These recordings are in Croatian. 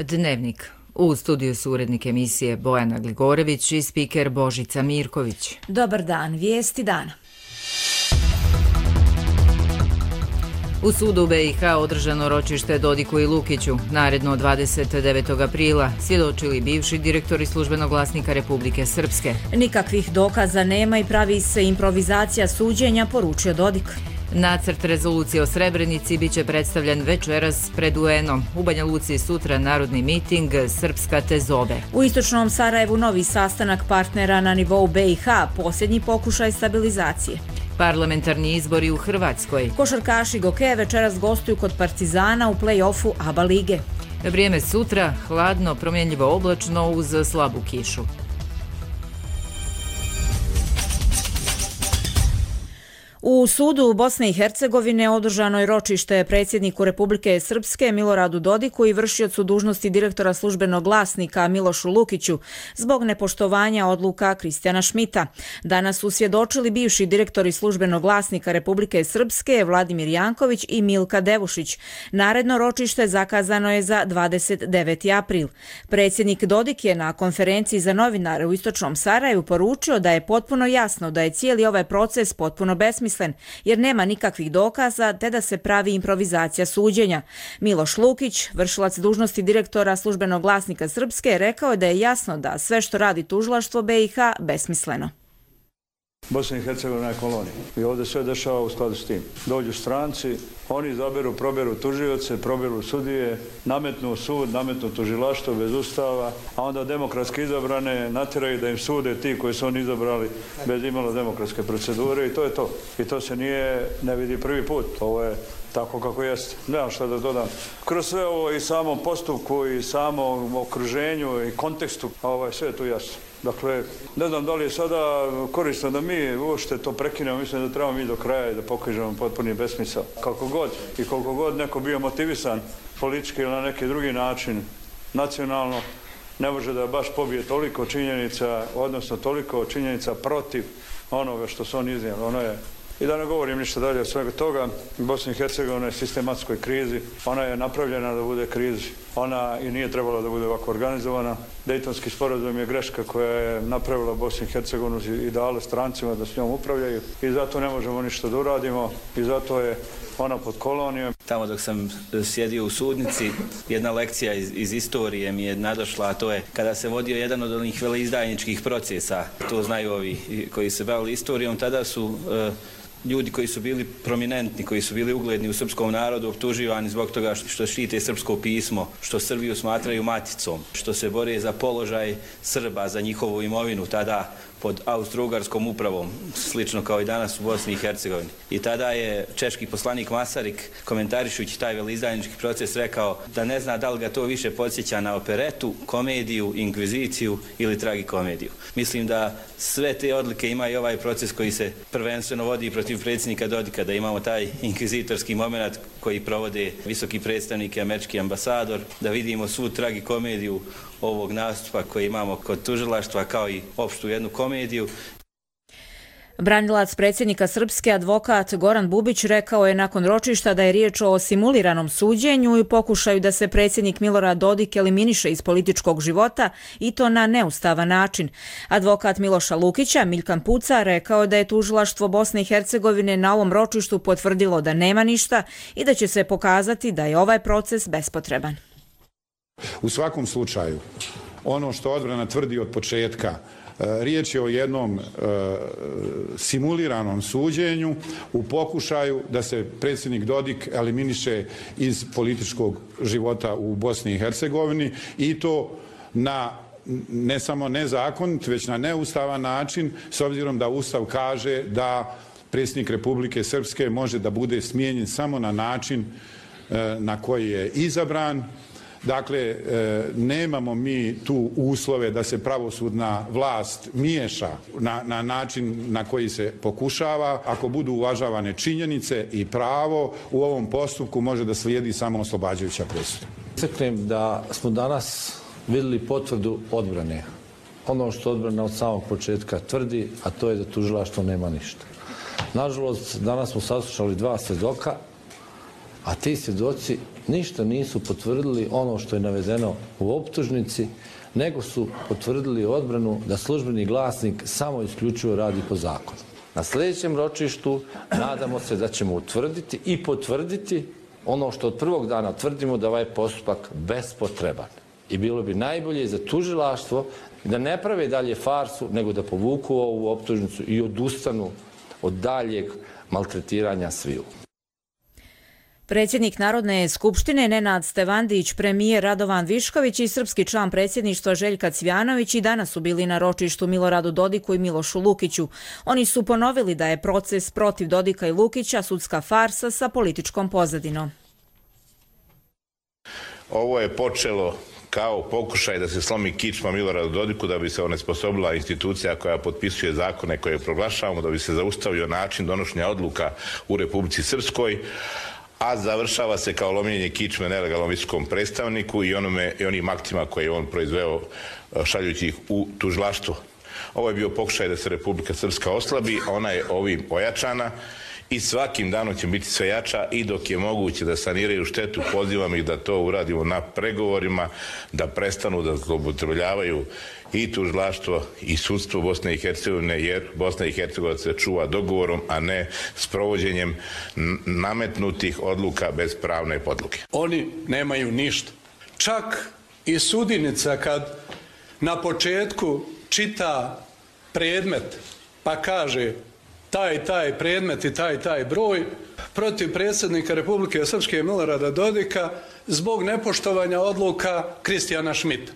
Dnevnik. U studiju su urednik emisije Bojana Gligorević i spiker Božica Mirković. Dobar dan, vijesti dana. U sudu BiH održano ročište Dodiku i Lukiću. Naredno 29. aprila svjedočili bivši direktori Službenog glasnika Republike Srpske. Nikakvih dokaza nema i pravi se improvizacija suđenja, poručio Dodik. Nacrt rezolucije o Srebrenici biće predstavljen večeras pred UN-om. U Banja Luci sutra narodni miting Srpska te zove. U istočnom Sarajevu novi sastanak partnera na nivou BiH, posljednji pokušaj stabilizacije. Parlamentarni izbori u Hrvatskoj. Košarkaši Gokeja večeras gostuju kod Partizana u play-offu ABA lige. Vrijeme sutra, hladno, promjenljivo oblačno uz slabu kišu. U sudu Bosne i Hercegovine održano je ročište predsjedniku Republike Srpske Miloradu Dodiku i vršiocu dužnosti direktora Službenog glasnika Milošu Lukiću zbog nepoštovanja odluka Kristijana Šmita. Danas su svjedočili bivši direktori Službenog glasnika Republike Srpske Vladimir Janković i Milka Devušić. Naredno ročište zakazano je za 29. april. Predsjednik Dodik je na konferenciji za novinare u istočnom Sarajevu poručio da je potpuno jasno da je cijeli ovaj proces potpuno besmislen, jer nema nikakvih dokaza te da se pravi improvizacija suđenja. Miloš Lukić, vršilac dužnosti direktora Službenog glasnika Srpske, rekao je da je jasno da sve što radi tužilaštvo BiH besmisleno. Bosna i Hercegovina je kolonija i ovdje sve dešava u skladu s tim. Dođu stranci, oni izaberu, proberu tužioce, proberu sudije, nametnu sud, nametnu tužilaštvo bez ustava, a onda demokratski izabrane natjeraju da im sude ti koji su oni izabrali bez imalo demokratske procedure i to je to. I to se ne vidi prvi put. Ovo je tako kako jeste. Nemam šta da dodam. Kroz sve ovo i samom postupku i samom okruženju i kontekstu, sve je tu jasno. Dakle, ne znam da li je sada korisno da mi uopšte to prekinemo, mislim da trebamo mi do kraja i da pokažemo potpuni besmisao. Kako god i koliko god neko bio motivisan politički ili na neki drugi način, nacionalno, ne može da baš pobije toliko činjenica, odnosno toliko činjenica protiv onoga što su oni iznijeli. I da ne govorim ništa dalje od svega toga, Bosna i Hercegovina je sistematskoj krizi, ona je napravljena da bude krizi, ona i nije trebala da bude ovako organizovana. Dejtonski sporazum je greška koja je napravila Bosnu i Hercegovinu i dala strancima da s njom upravljaju i zato ne možemo ništa da uradimo i zato je ona pod kolonijom. Tamo dok sam sjedio u sudnici, jedna lekcija iz istorije mi je nadošla, a to je kada se vodio jedan od onih veleizdajničkih procesa, to znaju ovi koji se bavili istorijom, tada su ljudi koji su bili prominentni, koji su bili ugledni u srpskom narodu, optuživani zbog toga što štite srpsko pismo, što Srbiju smatraju maticom, što se bore za položaj Srba, za njihovu imovinu, tada pod austro-ugarskom upravom, slično kao i danas u Bosni i Hercegovini. I tada je češki poslanik Masarik, komentarišući taj veleizdajnički proces, rekao da ne zna da li ga to više podsjeća na operetu, komediju, inkviziciju ili tragikomediju. Mislim da sve te odlike ima i ovaj proces koji se prvenstveno vodi protiv predsjednika Dodika, da imamo taj inkvizitorski moment koji provode visoki predstavnik i američki ambasador, da vidimo svu tragikomediju ovog nastupa koji imamo kod tužilaštva kao i opštu jednu komediju. Branilac predsjednika Srpske, advokat Goran Bubić, rekao je nakon ročišta da je riječ o simuliranom suđenju i pokušaju da se predsjednik Milorad Dodik eliminiše iz političkog života i to na neustavan način. Advokat Miloša Lukića, Milkan Puca, rekao da je tužilaštvo Bosne i Hercegovine na ovom ročištu potvrdilo da nema ništa i da će se pokazati da je ovaj proces bespotreban. U svakom slučaju, ono što odbrana tvrdi od početka, riječ je o jednom simuliranom suđenju u pokušaju da se predsjednik Dodik eliminiše iz političkog života u Bosni i Hercegovini i to na ne samo nezakonit, već na neustavan način, s obzirom da Ustav kaže da predsjednik Republike Srpske može da bude smijenjen samo na način na koji je izabran. Dakle, nemamo mi tu uslove da se pravosudna vlast miješa na način na koji se pokušava. Ako budu uvažavane činjenice i pravo, u ovom postupku može da slijedi samo oslobađajuća presuda. Istaknem da smo danas vidjeli potvrdu odbrane. Ono što odbrana od samog početka tvrdi, a to je da tužilaštvo nema ništa. Nažalost, danas smo saslušali dva svjedoka, a ti svjedoci ništa nisu potvrdili ono što je navedeno u optužnici, nego su potvrdili odbranu da Službeni glasnik samo isključivo radi po zakonu. Na sljedećem ročištu nadamo se da ćemo utvrditi i potvrditi ono što od prvog dana tvrdimo, da ovaj postupak bespotreban. I bilo bi najbolje za tužilaštvo da ne prave dalje farsu, nego da povuku ovu optužnicu i odustanu od daljeg maltretiranja sviju. Predsjednik Narodne skupštine Nenad Stevandić, premijer Radovan Višković i srpski član predsjedništva Željka Cvjanović i danas su bili na ročištu Miloradu Dodiku i Milošu Lukiću. Oni su ponovili da je proces protiv Dodika i Lukića sudska farsa sa političkom pozadinom. Ovo je počelo kao pokušaj da se slomi kičma Miloradu Dodiku, da bi se onesposobila institucija koja potpisuje zakone koje proglašavamo, da bi se zaustavio način donošenja odluka u Republici Srpskoj, a završava se kao lomljenje kičme nelegalnom visokom predstavniku i onim aktima koje je on proizveo šaljući ih u tužilaštvo. Ovo je bio pokušaj da se Republika Srpska oslabi, a ona je ovim ojačana i svakim danom će biti sve jača i dok je moguće da saniraju štetu, pozivam ih da to uradimo na pregovorima, da prestanu da zloupotrebljavaju i tužilaštvo i sudstvo Bosne i Hercegovine, jer Bosna i Hercegovina se čuva dogovorom, a ne sprovođenjem nametnutih odluka bez pravne podloge. Oni nemaju ništa. Čak i sudinica kad na početku čita predmet pa kaže taj predmet i taj broj protiv predsjednika Republike Srpske Milorada Dodika zbog nepoštovanja odluka Kristijana Šmita.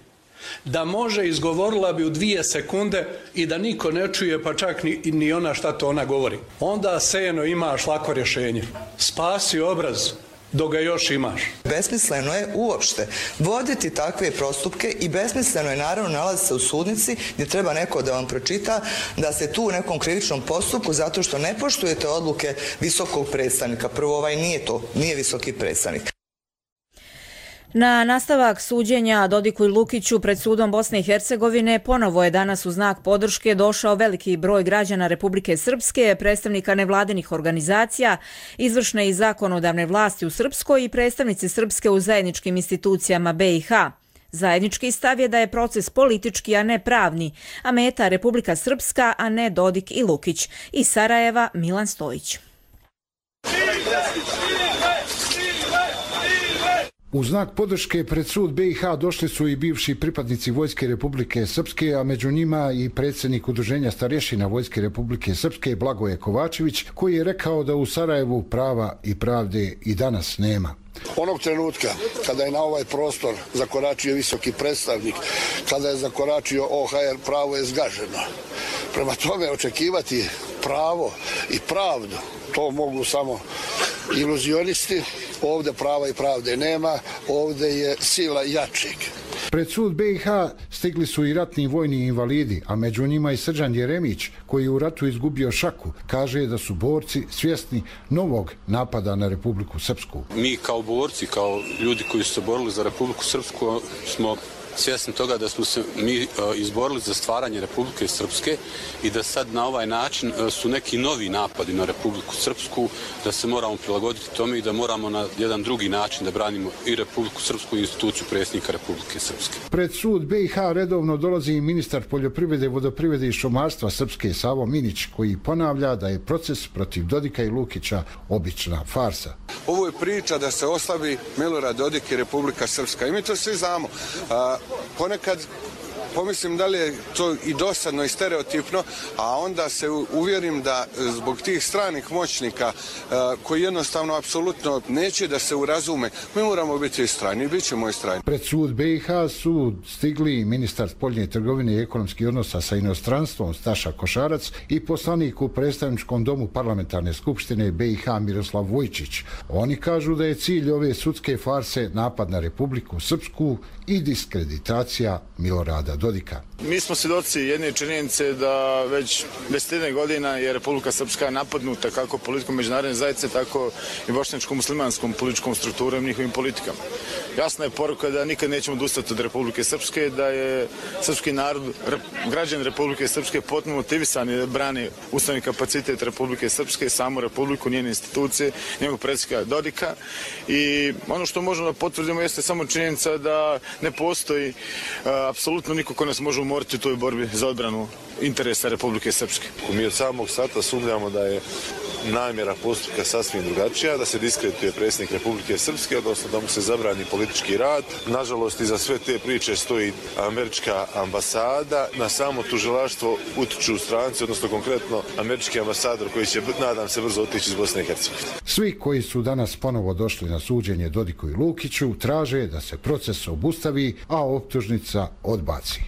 Da može, izgovorila bi u 2 sekunde i da niko ne čuje, pa čak ni ona šta to ona govori. Onda Seno imaš lako rješenje. Spasi obraz dok ga još imaš. Besmisleno je uopšte voditi takve postupke i besmisleno je naravno nalaziti se u sudnici gdje treba neko da vam pročita da ste tu u nekom krivičnom postupku zato što ne poštujete odluke visokog predstavnika. Prvo, nije visoki predstavnik. Na nastavak suđenja Dodiku i Lukiću pred sudom Bosne i Hercegovine ponovo je danas u znak podrške došao veliki broj građana Republike Srpske, predstavnika nevladinih organizacija, izvršne i zakonodavne vlasti u Srpskoj i predstavnici Srpske u zajedničkim institucijama BiH. Zajednički stav je da je proces politički, a ne pravni, a meta Republika Srpska, a ne Dodik i Lukić. Iz Sarajeva Milan Stojić. U znak podrške pred sud BiH došli su i bivši pripadnici Vojske Republike Srpske, a među njima i predsjednik Udruženja starješina Vojske Republike Srpske Blagoje Kovačević, koji je rekao da u Sarajevu prava i pravde i danas nema. Onog trenutka kada je na ovaj prostor zakoračio visoki predstavnik, kada je zakoračio OHR, pravo je zgaženo. Prema tome očekivati pravo i pravdu, to mogu samo iluzionisti. Ovdje prava i pravde nema, ovdje je sila jačeg. Pred sud BiH stigli su i ratni vojni invalidi, a među njima i Srđan Jeremić, koji je u ratu izgubio šaku, kaže da su borci svjesni novog napada na Republiku Srpsku. Mi kao borci, kao ljudi koji su se borili za Republiku Srpsku, smo svjesni toga da smo se mi izborili za stvaranje Republike Srpske i da sad na ovaj način su neki novi napadi na Republiku Srpsku, da se moramo prilagoditi tome i da moramo na jedan drugi način da branimo i Republiku Srpsku i instituciju predsjednika Republike Srpske. Pred sud BiH redovno dolazi i ministar poljoprivrede, vodoprivrede i šumarstva Srpske Savo Minić, koji ponavlja da je proces protiv Dodika i Lukića obična farsa. Ovo je priča da se oslabi Milorad Dodik i Republika Srpska i mi to svi znamo. Ponekad pomislim da li je to i dosadno i stereotipno, a onda se uvjerim da zbog tih stranih moćnika koji jednostavno apsolutno neće da se urazume, mi moramo biti istrajni i bit ćemo istrajni. Pred sud BiH su stigli ministar spoljne trgovine i ekonomskih odnosa sa inostranstvom Staša Košarac i poslanik u predstavničkom domu parlamentarne skupštine BiH Miroslav Vojčić. Oni kažu da je cilj ove sudske farse napad na Republiku Srpsku i diskreditacija Milorada Dodika. Mi smo svjedoci jedne činjenice da već 10 godina je Republika Srpska napadnuta kako politikom međunarodne zajednice, tako i bošnjačko-muslimanskom političkom strukturom i njihovim politikama. Jasna je poruka da nikad nećemo odustati od Republike Srpske, da je srpski narod, građani Republike Srpske potpuno motivisani da brani ustavni kapacitet Republike Srpske, samu Republiku, njene institucije, njegovog predsjednika Dodika. I ono što možemo da potvrdimo jeste samo činjenica da ne postoji apsolutno niko ko nas može umoriti u toj borbi za odbranu interesa Republike Srpske. Mi od samog starta sumnjamo da je namjera postupka sasvim drugačija, da se diskredituje predsjednik Republike Srpske, odnosno da mu se zabrani politički rad. Nažalost, iza sve te priče stoji američka ambasada. Na samo tužilaštvo utiču stranci, odnosno konkretno američki ambasador koji će, nadam se, brzo otići iz Bosne i Hercegovine. Svi koji su danas ponovo došli na suđenje Dodiku i Lukiću traže da se proces obustavi, a optužnica odbaci.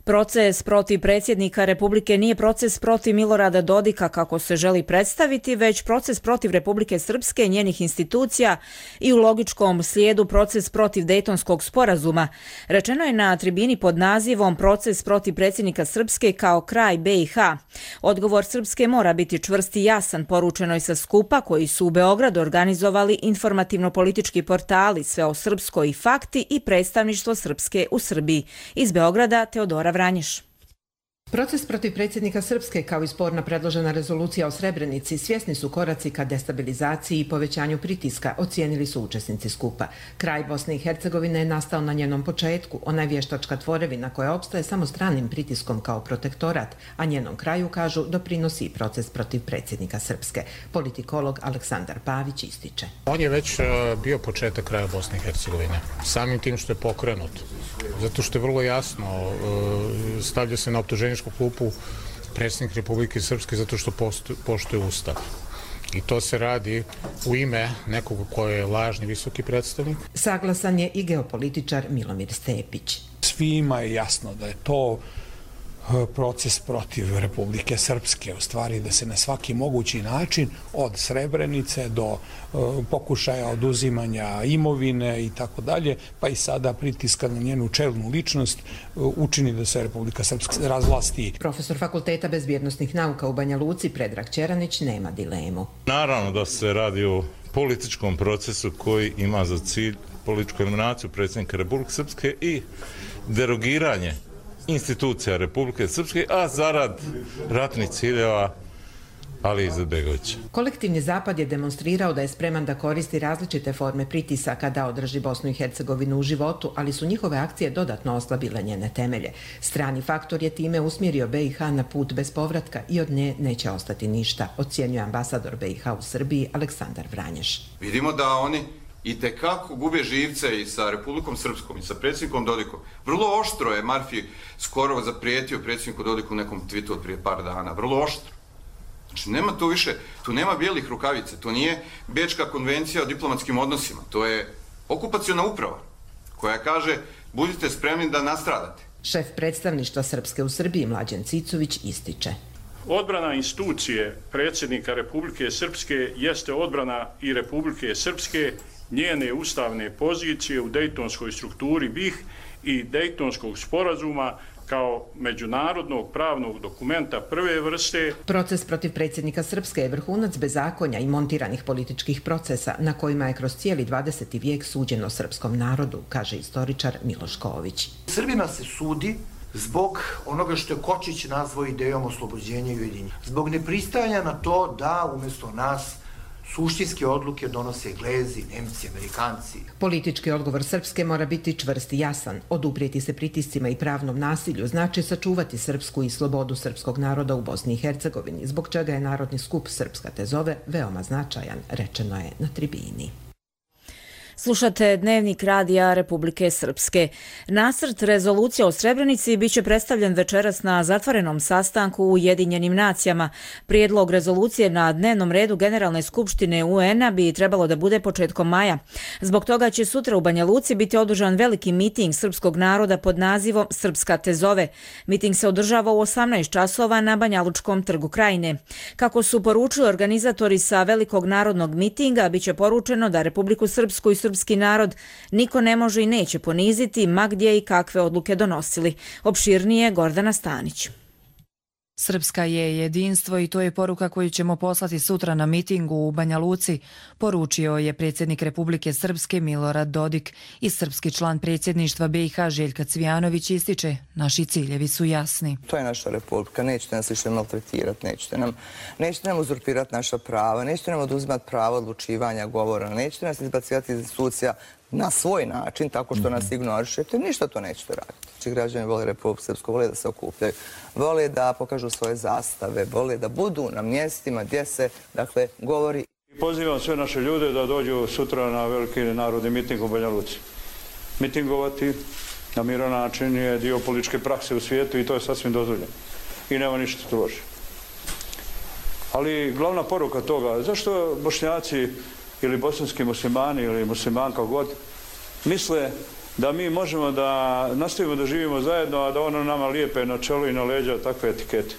Proces protiv predsjednika Republike nije proces protiv Milorada Dodika kako se želi predstaviti, već proces protiv Republike Srpske i njenih institucija i u logičkom slijedu proces protiv Dejtonskog sporazuma. Rečeno je na tribini pod nazivom Proces protiv predsjednika Srpske kao kraj BiH. Odgovor Srpske mora biti čvrst i jasan, poručeno je sa skupa koji su u Beogradu organizovali informativno-politički portali Sve o Srpskoj i Fakti i predstavništvo Srpske u Srbiji. Iz Beograda Teodora Vranješ. Proces protiv predsjednika Srpske kao i sporna predložena rezolucija o Srebrenici svjesni su koraci ka destabilizaciji i povećanju pritiska, ocijenili su učesnici skupa. Kraj Bosne i Hercegovine je nastao na njenom početku, ona je vještačka tvorevina koja opstaje samo stranim pritiskom kao protektorat, a njenom kraju, kažu, doprinosi i proces protiv predsjednika Srpske. Politikolog Aleksandar Pavić ističe. On je već bio početak kraja Bosne i Hercegovine, samim tim što je pokrenut, zato što je vrlo jasno, stavlja se na optuženje klupu predsjednik Republike Srpske zato što poštuje Ustav. I to se radi u ime nekog ko je lažni visoki predstavnik. Saglasan je i geopolitičar Milomir Stepić. Svima je jasno da je to proces protiv Republike Srpske, u stvari da se na svaki mogući način od Srebrenice do pokušaja oduzimanja imovine i tako dalje, pa i sada pritiska na njenu čelnu ličnost učini da se Republika Srpska razvlasti. Profesor Fakulteta bezbjednosnih nauka u Banja Luci Predrag Čeranić nema dilemu. Naravno da se radi o političkom procesu koji ima za cilj političku eliminaciju predsjednika Republike Srpske i derogiranje institucija Republike Srpske, a zarad ratnih ciljeva Ali Izetbegovića. Kolektivni zapad je demonstrirao da je spreman da koristi različite forme pritisaka da održi Bosnu i Hercegovinu u životu, ali su njihove akcije dodatno oslabile njene temelje. Strani faktor je time usmjerio BiH na put bez povratka i od nje neće ostati ništa, ocjenjuje ambasador BiH u Srbiji Aleksandar Vranješ. Vidimo da oni i tekako gube živce i sa Republikom Srpskom i sa predsjednikom Dodikom. Vrlo oštro je Marfi skoro zaprijetio predsjedniku Dodiku u nekom tweetu od prije par dana. Vrlo oštro. Znači nema tu više, tu nema bijelih rukavice, to nije Bečka konvencija o diplomatskim odnosima, to je okupaciona uprava koja kaže budite spremni da nastradate. Šef predstavništva Srpske u Srbiji Mlađan Cicović ističe. Odbrana institucije predsjednika Republike Srpske jeste odbrana i Republike Srpske, njene ustavne pozicije u dejtonskoj strukturi BiH i dejtonskog sporazuma kao međunarodnog pravnog dokumenta prve vrste. Proces protiv predsjednika Srpske je vrhunac bezakonja i montiranih političkih procesa na kojima je kroz cijeli 20. vijek suđeno srpskom narodu, kaže istoričar Miloš Ković. Srbima se sudi zbog onoga što je Kočić nazvao idejom oslobođenja i ujedinjenja. Zbog nepristajanja na to da umjesto nas suštinske odluke donose Englezi, Nemci, Amerikanci. Politički odgovor Srpske mora biti čvrst i jasan. Oduprijeti se pritiscima i pravnom nasilju znači sačuvati srpsku i slobodu srpskog naroda u Bosni i Hercegovini, zbog čega je Narodni skup Srpska te zove veoma značajan, rečeno je na tribini. Slušate Dnevnik radija Republike Srpske. Nacrt rezolucije o Srebrenici biće predstavljen večeras na zatvorenom sastanku u Ujedinjenim nacijama. Prijedlog rezolucije na dnevnom redu Generalne skupštine UN-a bi trebalo da bude početkom maja. Zbog toga će sutra u Banja Luci biti održan veliki miting srpskog naroda pod nazivom Srpska te zove. Miting se održava u 18 časova na Banjalučkom trgu Krajine. Kako su poručili organizatori sa velikog narodnog mitinga, biće poručeno da Republiku Srpsku i srpski narod niko ne može i neće poniziti, ma gdje i kakve odluke donosili. Opširnije Gordana Stanić. Srpska je jedinstvo i to je poruka koju ćemo poslati sutra na mitingu u Banja Luci, poručio je predsjednik Republike Srpske Milorad Dodik i srpski član predsjedništva BiH Željka Cvijanović ističe, naši ciljevi su jasni. To je naša republika, nećete nas više maltretirati, nećete nam uzurpirati naša prava, nećete nam oduzimati pravo odlučivanja, govora, nećete nas izbacivati iz institucija na svoj način, tako što nas ignorišete, ništa to nećete raditi. Znači, građani vole Republiku Srpsku, vole da se okupljaju, vole da pokažu svoje zastave, vole da budu na mjestima gdje se, dakle, govori. Pozivam sve naše ljude da dođu sutra na veliki narodni miting u Banja Luci. Mitingovati na miran način je dio političke prakse u svijetu i to je sasvim dozvoljeno. I nema ništa strože. Ali glavna poruka toga, zašto Bošnjaci ili bosanski muslimani ili muslimanka god misle da mi možemo da nastavimo da živimo zajedno, a da ono nama lijepe na čelu i na leđa takve etikete.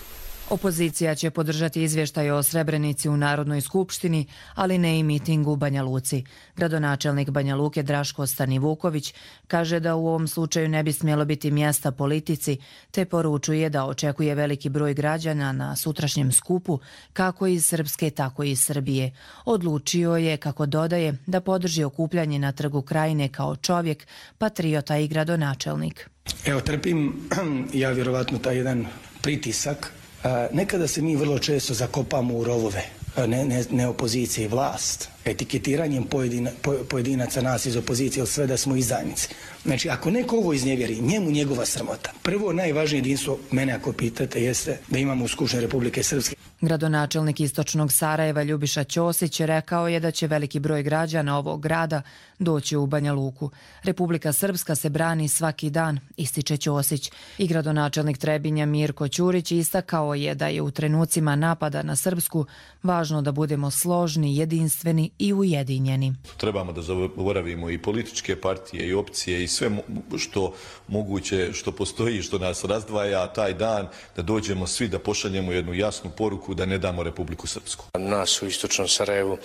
Opozicija će podržati izvještaj o Srebrenici u Narodnoj skupštini, ali ne i miting u Banja Luci. Gradonačelnik Banja Luke Draško Stanivuković kaže da u ovom slučaju ne bi smjelo biti mjesta politici, te poručuje da očekuje veliki broj građana na sutrašnjem skupu, kako iz Srpske, tako i iz Srbije. Odlučio je, kako dodaje, da podrži okupljanje na Trgu Krajine kao čovjek, patriota i gradonačelnik. Evo, trpim ja vjerovatno taj jedan pritisak. Nekada se mi vrlo često zakopamo u rovove, ne opozicije i vlast, etiketiranjem pojedinaca nas iz opozicije, sve da smo izdajnici. Znači, ako neko ovo iznevjeri, njemu njegova sramota. Prvo, najvažnije jedinstvo, mene ako pitate, jeste da imamo u Skupštini Republike Srpske. Gradonačelnik istočnog Sarajeva Ljubiša Ćosić rekao je da će veliki broj građana ovog grada doći u Banja Luku. Republika Srpska se brani svaki dan, ističe Ćosić. I gradonačelnik Trebinja Mirko Ćurić istakao je da je u trenucima napada na Srpsku važno da budemo složni, jedinstveni i ujedinjeni. Trebamo da zaboravimo i političke partije i opcije i sve što moguće, što postoji, što nas razdvaja taj dan, da dođemo svi da pošaljemo jednu jasnu poruku da ne damo Republiku Srpsku. Nas u istočnom Sarajevu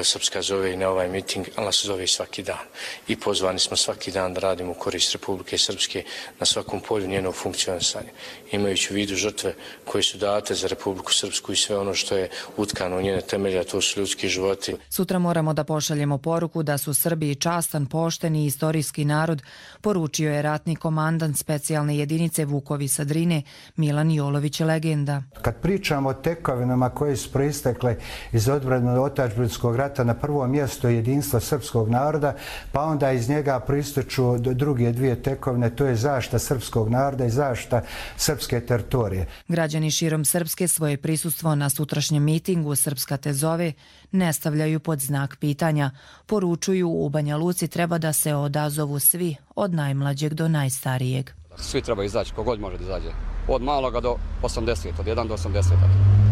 Srpska zove i na ovaj miting, ali nas zove i svaki dan. I pozvani smo svaki dan da radimo u korist Republike Srpske na svakom polju njenog funkcionisanja. Imajući u vidu žrtve koje su date za Republiku Srpsku i sve ono što je utkano u njene temelje, a to su ljudski životi. Sutra moramo da pošaljemo poruku da su Srbi častan, pošteni i istorijski narod, poručio je ratni komandant specijalne jedinice Vukovi sa Drine Milan Jolović, legenda. Kad pričamo o tekovinama koje su proistekle iz odbrane otadžbinskog rata, na prvom mjestu je jedinstvo srpskog naroda, pa onda iz njega proističu druge dvije tekovine, to je zaštita srpskog naroda i zaštita srpske teritorije. Građani širom Srpske svoje prisustvo na sutrašnjem mitingu Srpska te zove ne stavljaju pod znak pitanja. Poručuju, u Banja Luci treba da se odazovu svi, od najmlađeg do najstarijeg. Svi treba izaći, kogod može da izađe. Od maloga do 80, od 1 do 80.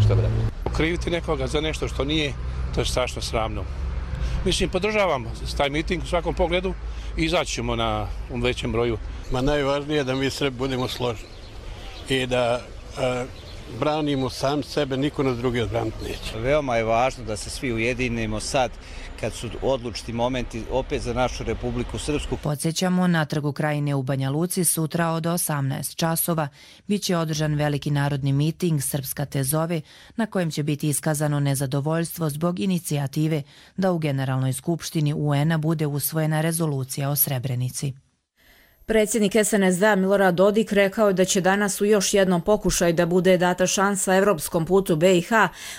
Što bi rekao? Okriviti nekoga za nešto što nije, to je strašno sramno. Mislim, podržavamo taj miting u svakom pogledu i izaći ćemo na većem broju. Najvažnije je da mi Srbi budemo složni i da branimo sam sebe, niko nas drugi odbraniti neće. Veoma je važno da se svi ujedinimo sad kad su odlučiti momenti opet za našu Republiku Srpsku. Podsjećamo, na Trgu Krajine u Banja Luci sutra od 18 časova biće održan veliki narodni miting Srpska te zove, na kojem će biti iskazano nezadovoljstvo zbog inicijative da u Generalnoj skupštini UN-a bude usvojena rezolucija o Srebrenici. Predsjednik SNSD Milorad Dodik rekao je da će danas u još jednom pokušaju da bude data šansa evropskom putu BiH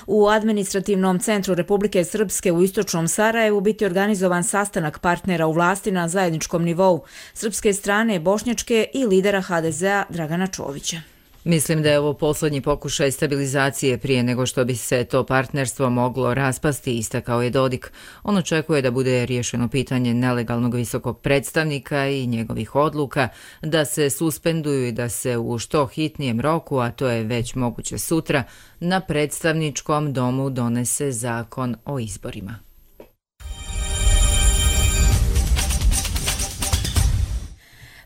u administrativnom centru Republike Srpske u istočnom Sarajevu biti organizovan sastanak partnera u vlasti na zajedničkom nivou srpske strane, bošnjačke i lidera HDZ-a Dragana Čovića. Mislim da je ovo poslednji pokušaj stabilizacije prije nego što bi se to partnerstvo moglo raspasti, istakao je Dodik. On očekuje da bude riješeno pitanje nelegalnog visokog predstavnika i njegovih odluka, da se suspenduju i da se u što hitnijem roku, a to je već moguće sutra, na predstavničkom domu donese zakon o izborima.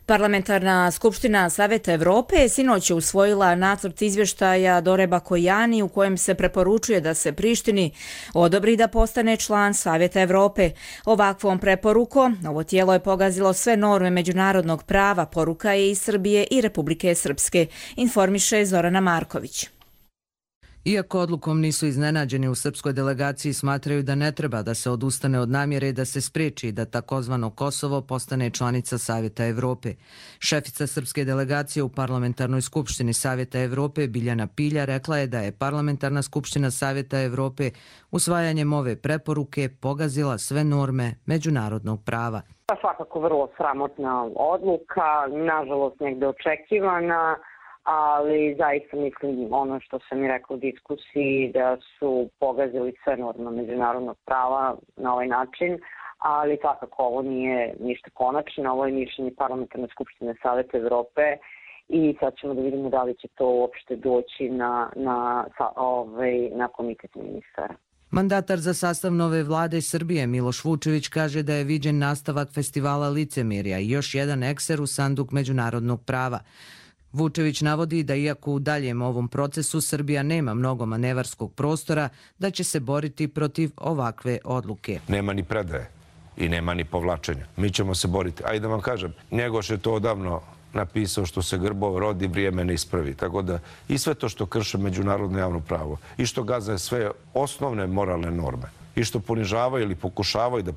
Parlamentarna skupština Saveta Evrope je sinoć usvojila nacrt izvještaja Dore Bakojani u kojem se preporučuje da se Prištini odobri da postane član Saveta Evrope. Ovakvom preporukom ovo tijelo je pogazilo sve norme međunarodnog prava, poruka je iz Srbije i Republike Srpske, informiše Zorana Marković. Iako odlukom nisu iznenađeni, u srpskoj delegaciji smatraju da ne treba da se odustane od namjere da se spriječi da takozvano Kosovo postane članica Savjeta Evrope. Šefica srpske delegacije u Parlamentarnoj skupštini Savjeta Evrope Biljana Pilja rekla je da je Parlamentarna skupština Savjeta Evrope usvajanjem ove preporuke pogazila sve norme međunarodnog prava. Svakako vrlo sramotna odluka, nažalost negde očekivana, ali zaista mislim ono što sam i rekla u diskusiji da su pogazili sve norme međunarodnog prava na ovaj način, ali svakako ovo nije ništa konačno, ovo je mišljenje Parlamentarne skupštine Saveta Evrope i sad ćemo da vidimo da li će to uopšte doći na komitet ministara. Mandatar za sastav nove vlade Srbije Miloš Vučević kaže da je viđen nastavak festivala licemerja i još jedan ekser u sanduk međunarodnog prava. Vučević navodi da iako u daljem ovom procesu Srbija nema mnogo manevarskog prostora, da će se boriti protiv ovakve odluke. Nema ni predaje i nema ni povlačenja. Mi ćemo se boriti. Ajde da vam kažem, Njegoš je to odavno napisao što se grbo rodi, vrijeme ne ispravi. Tako da i sve to što krše međunarodno javno pravo i što gaze sve osnovne moralne norme i što ponižavaju ili pokušavaju da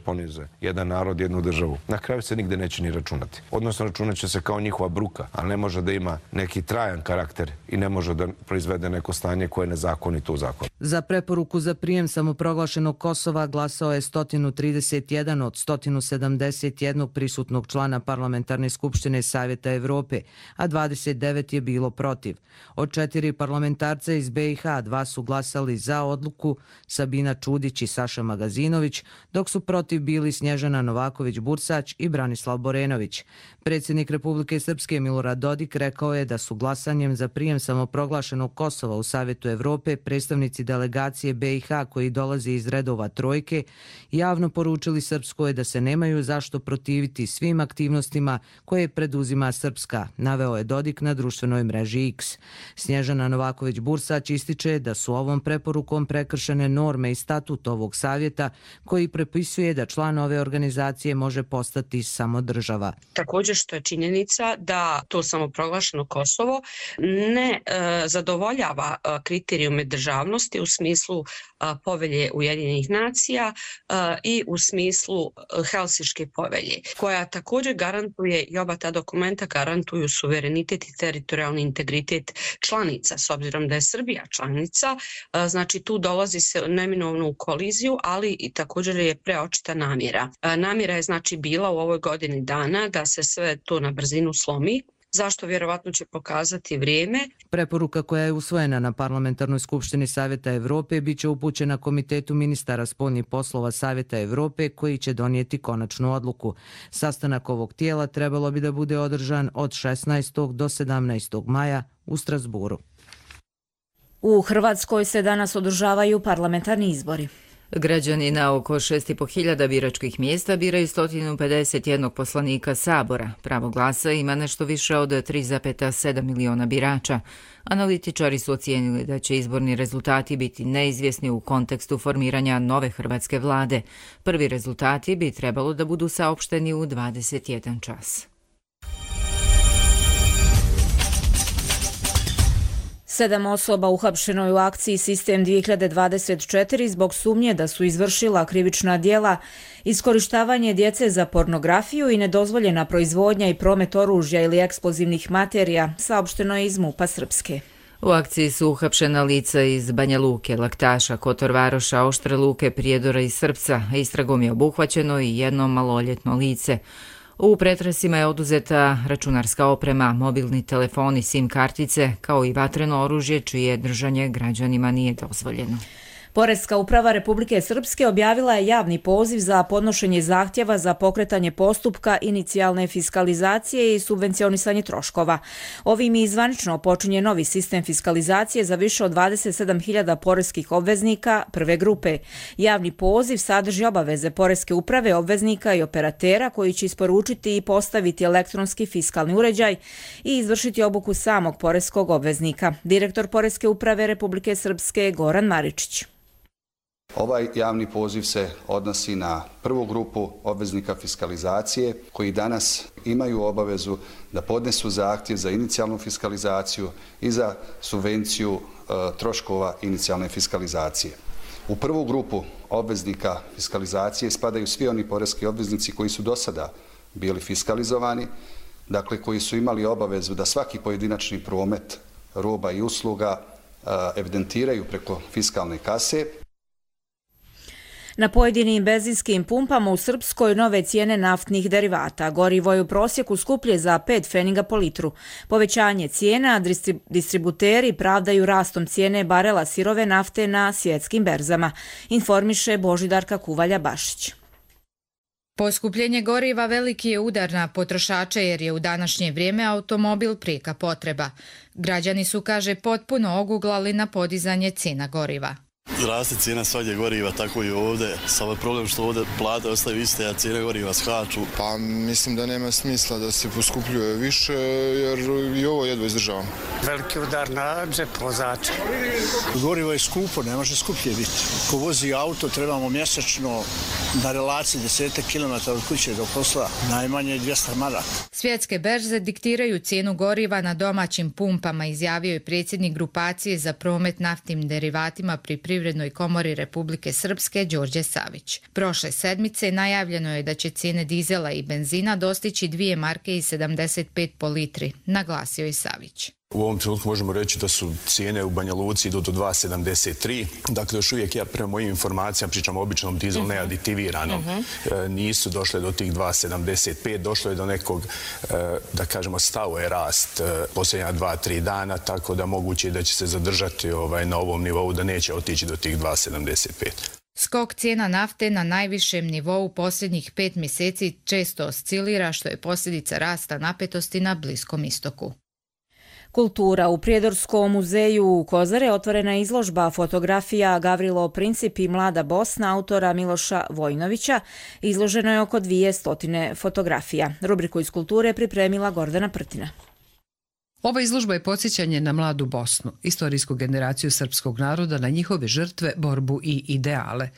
ponize jedan narod, jednu državu, na kraju se nigde neće ni računati. Odnosno računat će se kao njihova bruka, ali ne može da ima neki trajan karakter i ne može da proizvede neko stanje koje je nezakonito u zakonu. Za preporuku za prijem samoproglašenog Kosova glasao je 131 od 171 prisutnog člana Parlamentarne skupštine Savjeta Evrope, a 29 je bilo protiv. Od 4 parlamentarca iz BiH 2 su glasali za odluku, Sabina Čudić i Saša Magazinović, dok su protiv bili Snježana Novaković-Bursać i Branislav Borenović. Predsjednik Republike Srpske Milorad Dodik rekao je da su glasanjem za prijem samoproglašenog Kosova u Savjetu Evrope predstavnici delegacije BiH koji dolazi iz redova trojke javno poručili Srpskoj da se nemaju zašto protiviti svim aktivnostima koje preduzima Srpska, naveo je Dodik na društvenoj mreži X. Snježana Novaković-Bursać ističe da su ovom preporukom prekršene norme i statut ovog savjeta koji prepisuje da član ove organizacije može postati samo država. Također što je činjenica da to samoproglašeno Kosovo ne zadovoljava kriterijume državnosti u smislu povelje Ujedinjenih nacija i u smislu Helsinške povelje, koja također garantuje i oba ta dokumenta garantuju suverenitet i teritorijalni integritet članica, s obzirom da je Srbija članica, znači tu dolazi se neminovno u koliziju, ali i također je preočita namjera. Namjera je znači bila u ovoj godini dana da se sve to na brzinu slomi. Zašto vjerovatno će pokazati vrijeme. Preporuka koja je usvojena na Parlamentarnoj skupštini Savjeta Evrope biće upućena Komitetu ministara spoljnih poslova Savjeta Evrope koji će donijeti konačnu odluku. Sastanak ovog tijela trebalo bi da bude održan od 16. do 17. maja u Strasburu. U Hrvatskoj se danas održavaju parlamentarni izbori. Građani na oko 6.500 biračkih mjesta biraju 151 poslanika Sabora. Pravo glasa ima nešto više od 3,7 miliona birača. Analitičari su ocijenili da će izborni rezultati biti neizvjesni u kontekstu formiranja nove hrvatske vlade. Prvi rezultati bi trebalo da budu saopšteni u 21 čas. 7 osoba uhapšeno je u akciji Sistem 2024 zbog sumnje da su izvršila krivična djela, iskorištavanje djece za pornografiju i nedozvoljena proizvodnja i promet oružja ili eksplozivnih materija, saopšteno je iz MUP-a Srpske. U akciji su uhapšena lica iz Banja Luke, Laktaša, Kotor Varoša, Oštre Luke, Prijedora i Srpca. Istragom je obuhvaćeno i jedno maloljetno lice. U pretresima je oduzeta računarska oprema, mobilni telefoni, SIM kartice, kao i vatreno oružje čije držanje građanima nije dozvoljeno. Poreska uprava Republike Srpske objavila je javni poziv za podnošenje zahtjeva za pokretanje postupka inicijalne fiskalizacije i subvencionisanje troškova. Ovim i zvanično počinje novi sistem fiskalizacije za više od 27.000 poreskih obveznika prve grupe. Javni poziv sadrži obaveze Poreske uprave, obveznika i operatera koji će isporučiti i postaviti elektronski fiskalni uređaj i izvršiti obuku samog poreskog obveznika. Direktor Poreske uprave Republike Srpske Goran Maričić. Ovaj javni poziv se odnosi na prvu grupu obveznika fiskalizacije koji danas imaju obavezu da podnesu zahtjev za inicijalnu fiskalizaciju i za subvenciju troškova inicijalne fiskalizacije. U prvu grupu obveznika fiskalizacije spadaju svi oni poreski obveznici koji su do sada bili fiskalizovani, dakle koji su imali obavezu da svaki pojedinačni promet roba i usluga evidentiraju preko fiskalne kase. Na pojedinim benzinskim pumpama u Srpskoj nove cijene naftnih derivata. Gorivo je u prosjeku skuplje za 5 pfeniga po litru. Povećanje cijena distributeri pravdaju rastom cijene barela sirove nafte na svjetskim berzama, informiše Božidarka Kuvalja-Bašić. Poskupljenje goriva veliki je udar na potrošače jer je u današnje vrijeme automobil prijeka potreba. Građani su, kaže, potpuno oguglali na podizanje cijena goriva. Raste cijena svake goriva, tako i ovdje. Samo problem što ovdje plate ostaju iste, a cijene goriva skaču. Pa mislim da nema smisla da se poskupljuje više, jer i ovo jedva izdržavamo. Veliki udar na džep vozača. Gorivo je skupo, ne može skuplje biti. Ko vozi auto, trebamo mjesečno na relaciji 10 km od kuće do posla, najmanje 200 maraka. Svjetske berze diktiraju cijenu goriva na domaćim pumpama, izjavio je predsjednik grupacije za promet naftnim derivatima pri Privrednoj komori Republike Srpske Đorđe Savić. Prošle sedmice najavljeno je da će cijene dizela i benzina dostići 2 marke i 75 po litri, naglasio je Savić. U ovom trenutku možemo reći da su cijene u Banja Luci idu do 2,73. Dakle, još uvijek ja prema mojim informacijama, pričam o običnom dizelu neaditiviranom, nisu došle do tih 2,75. Došlo je do nekog, da kažemo, stao je rast posljednja 2-3 dana, tako da moguće je da će se zadržati na ovom nivou, da neće otići do tih 2,75. Skok cijena nafte na najvišem nivou posljednjih 5 mjeseci često oscilira, što je posljedica rasta napetosti na Bliskom istoku. Kultura. U Prijedorskom muzeju u Kozare otvorena je izložba fotografija Gavrilo Princip i Mlada Bosna autora Miloša Vojnovića. Izloženo je oko 200 fotografija. Rubriku iz kulture pripremila Gordana Prtina. Ova izložba je podsjećanje na mladu Bosnu, istorijsku generaciju srpskog naroda, na njihove žrtve, borbu i ideale.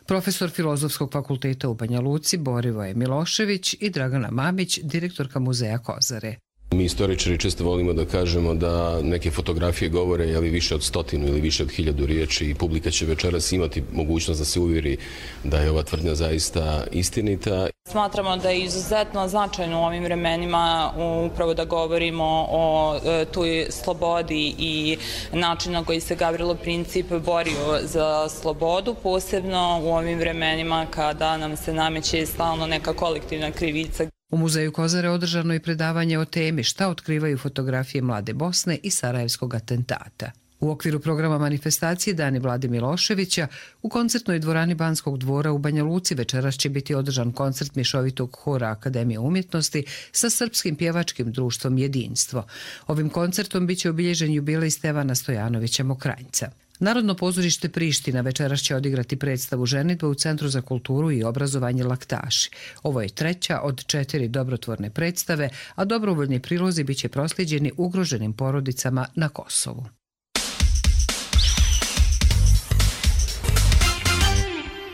Profesor Filozofskog fakulteta u Banja Luci Borivoje Milošević i Dragana Mamić, direktorka muzeja Kozare. Mi istoričari često volimo da kažemo da neke fotografije govore više od 100 ili više od 1000 riječi i publika će večeras imati mogućnost da se uvjeri da je ova tvrdnja zaista istinita. Smatramo da je izuzetno značajno u ovim vremenima upravo da govorimo o toj slobodi i načinu na koji se Gavrilo Princip borio za slobodu, posebno u ovim vremenima kada nam se nameće stalno neka kolektivna krivica. U muzeju Kozare održano je predavanje o temi šta otkrivaju fotografije Mlade Bosne i Sarajevskog atentata. U okviru programa manifestacije Dani Vlade Miloševića u koncertnoj dvorani Banskog dvora u Banja Luci večeras će biti održan koncert mješovitog hora Akademije umjetnosti sa Srpskim pjevačkim društvom Jedinstvo. Ovim koncertom biće obilježen jubilej Stevana Stojanovića Mokranjca. Narodno pozorište Priština večeras će odigrati predstavu ženidbe u Centru za kulturu i obrazovanje Laktaši. Ovo je 3. od 4 dobrotvorne predstave, a dobrovoljni prilozi biće proslijeđeni ugroženim porodicama na Kosovu.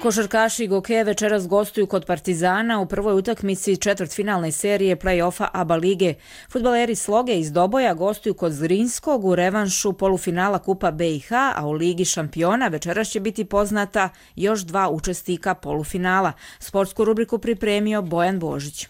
Košarkaši Goke večeras gostuju kod Partizana u prvoj utakmici četvrtfinalne serije play-offa ABA lige. Fudbaleri Sloge iz Doboja gostuju kod Zrinskog u revanšu polufinala Kupa BiH, a u Ligi šampiona večeras će biti poznata još 2 učesnika polufinala. Sportsku rubriku pripremio Bojan Božić.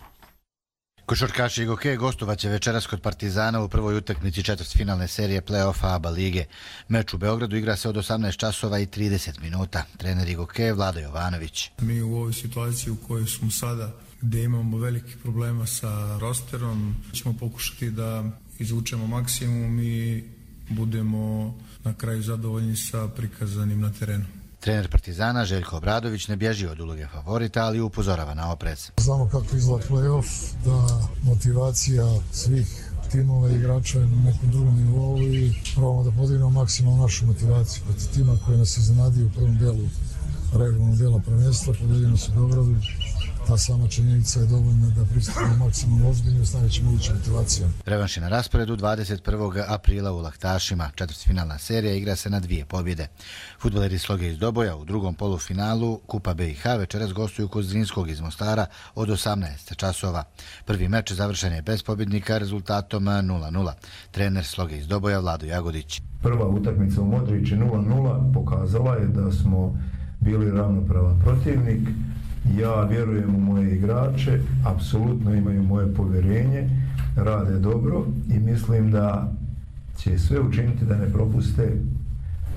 Košarkaši Goke gostovaće večeras kod Partizana u prvoj utakmici četvrtfinalne serije play-offa ABA lige. Meč u Beogradu igra se od 18 časova i 30 minuta. Trener Goke Vlado Jovanović. Mi u ovoj situaciji u kojoj smo sada, gdje imamo velikih problema sa rosterom, ćemo pokušati da izvučemo maksimum i budemo na kraju zadovoljni sa prikazanim na terenu. Trener Partizana Željko Obradović ne bježi od uloge favorita, ali upozorava na oprez. Znamo kako izgleda play-off, da motivacija svih timova i igrača je na nekom drugom nivou i probamo da podignemo maksimalno našu motivaciju protiv tima koji nas iznenadio u prvom delu regularnog dela prvenstva, pobedili nas u Beogradu Ta sama činjenica je dovoljna da pristupimo maksimalno ozbiljno s najvećim mogućim motivacijom. Revanš je na rasporedu 21. aprila u Laktašima. Četvrtfinalna serija igra se na 2 pobjede. Fudbaleri Sloge iz Doboja u drugom polufinalu Kupa BiH večeras gostuju kod Zrinskog iz Mostara od 18 časova. Prvi meč završen je bez pobjednika rezultatom 0:0. Trener Sloge iz Doboja Vlado Jagodić. Prva utakmica u Modrići 0:0 pokazala je da smo bili ravnopravan protivnik. Ja vjerujem u moje igrače, apsolutno imaju moje povjerenje, rade dobro i mislim da će sve učiniti da ne propuste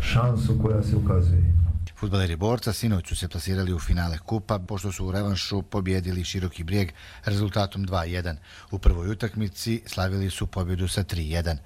šansu koja se ukazuje. Fudbaleri Borca sinoć su se plasirali u finale kupa, pošto su u revanšu pobjedili Široki Brijeg rezultatom 2:1. U prvoj utakmici slavili su pobjedu sa 3:1.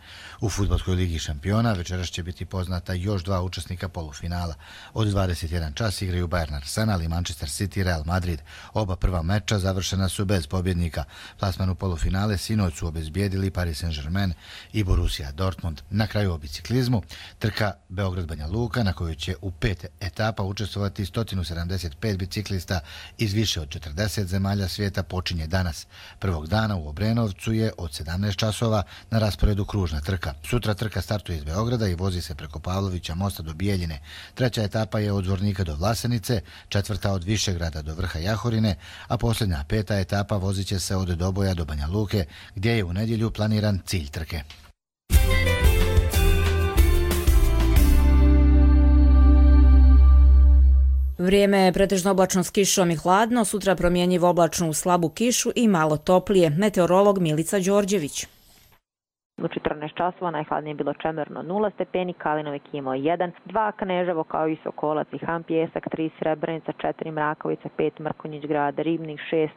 U Fudbalskoj ligi šampiona večeras će biti poznata još 2 učesnika polufinala. Od 21 čas igraju Bayern Arsenal i Manchester City Real Madrid. Oba prva meča završena su bez pobjednika. Plasman u polufinale sinoć su obezbijedili Paris Saint-Germain i Borussia Dortmund. Na kraju u biciklizmu trka Beograd-Banja Luka, na kojoj će u 5 etapa učestvovati 175 biciklista iz više od 40 zemalja svijeta, počinje danas. Prvog dana u Obrenovcu je od 17 časova na rasporedu kružna trka. Sutra trka startuje iz Beograda i vozi se preko Pavlovića mosta do Bijeljine. Treća etapa je od Zvornika do Vlasenice, četvrta od Višegrada do vrha Jahorine, a posljednja 5. etapa vozit će se od Doboja do Banja Luke, gdje je u nedjelju planiran cilj trke. Vrijeme je pretežno oblačno s kišom i hladno, sutra promjenjivo oblačno u slabu kišu i malo toplije. Meteorolog Milica Đorđević. U 14 časova najhladnije je bilo Čemerno 0 stepeni, Kalinovik imao 1, 2 Kneževo kao i Sokolac i Han Pjesak, 3 Srebrenica, 4 Mrakavica, 5 Mrkonjić Grad, Ribnik 6,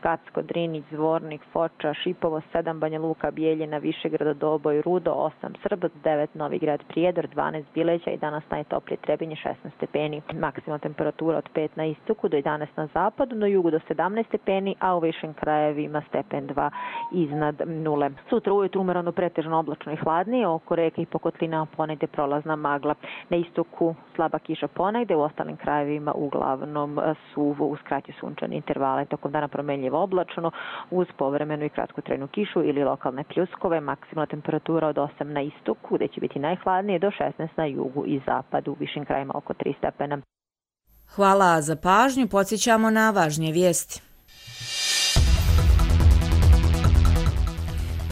Kacko, Drinić, Zvornik, Foča, Šipovo 7, Banja Luka, Bijeljina, Višegrad, Doboj, Rudo 8, Srbac 9, Novi Grad, Prijedor 12, Bileća i danas najtoplije Trebinje 16 stepeni. Maksimalna temperatura od 5 na istoku do 11 na zapadu, na jugu do 17 stepeni, a u višim krajevima stepen 2 iznad nule. Sutra ujutru umereno pretežno oblačno i hladnije, oko reke i po kotlinama ponegde prolazna magla. Na istoku slaba kiša ponegde, u ostalim krajevima uglavnom suvo uz kraće sunčane intervale. Tokom dana promenljivo oblačno uz povremenu i kratkotrajnu kišu ili lokalne pljuskove. Maksimalna temperatura od 8 na istoku, gde će biti najhladnije, do 16 na jugu i zapadu, u višim krajima oko 3 stepena. Hvala za pažnju, podsjećamo na važnije vijesti.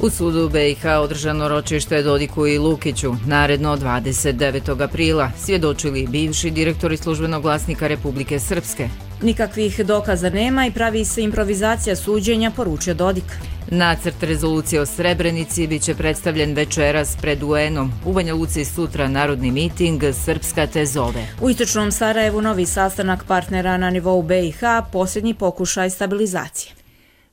U sudu BiH održano ročište Dodiku i Lukiću, naredno 29. aprila, svjedočili bivši direktori Službenog glasnika Republike Srpske. Nikakvih dokaza nema i pravi se improvizacija suđenja, poručio Dodik. Nacrt rezolucije o Srebrenici biće predstavljen večeras pred UN-om. U Banja Luci sutra narodni miting Srpska te zove. U istočnom Sarajevu novi sastanak partnera na nivou BiH, posljednji pokušaj stabilizacije.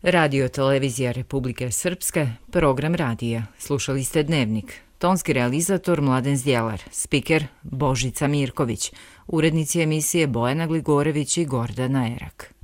Radio televizija Republike Srpske, program radija. Slušali ste Dnevnik. Tonski realizator Mladen Zdjelar, spiker Božica Mirković, urednici emisije Bojana Gligorević i Gordana Erak.